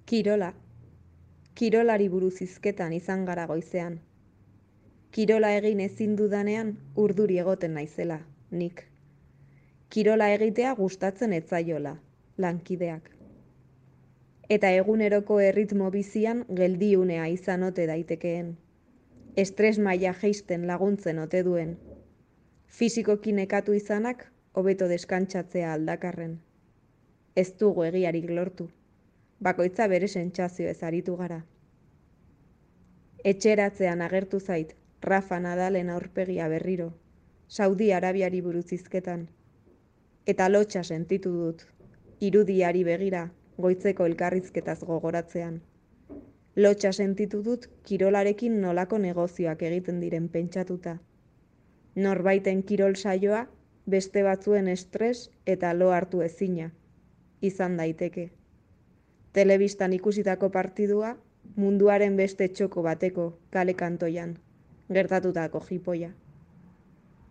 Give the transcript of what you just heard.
Kirola. Kirolari buruz hizketan izan gara goizean. Kirola egin ezin dudanean urduri egoten naizela, nik. Kirola egitea gustatzen etzaiola, lankideak. Eta eguneroko erritmo bizian geldiunea izan ote daitekeen. Estres maila jeisten laguntzen ote duen. Fisikoki nekatu izanak hobeto deskantsatzea aldakarren. Ez dugu egiarik lortu. Bakoitza bere sentsazioez aritu gara. Etxeratzean agertu zait Rafa Nadalen aurpegia berriro, Saudi Arabiari buruz hizketan. Eta lotxa sentitu dut, irudiari begira, goitzeko elkarrizketaz gogoratzean. Lotxa sentitu dut kirolarekin nolako negozioak egiten diren pentsatuta. Norbaiten kirol saioa, beste batzuen estres eta lo hartu ezina, izan daiteke. Telebistan ikusitako partidua, munduaren beste txoko bateko kale kantoian, gertatutako jipoia.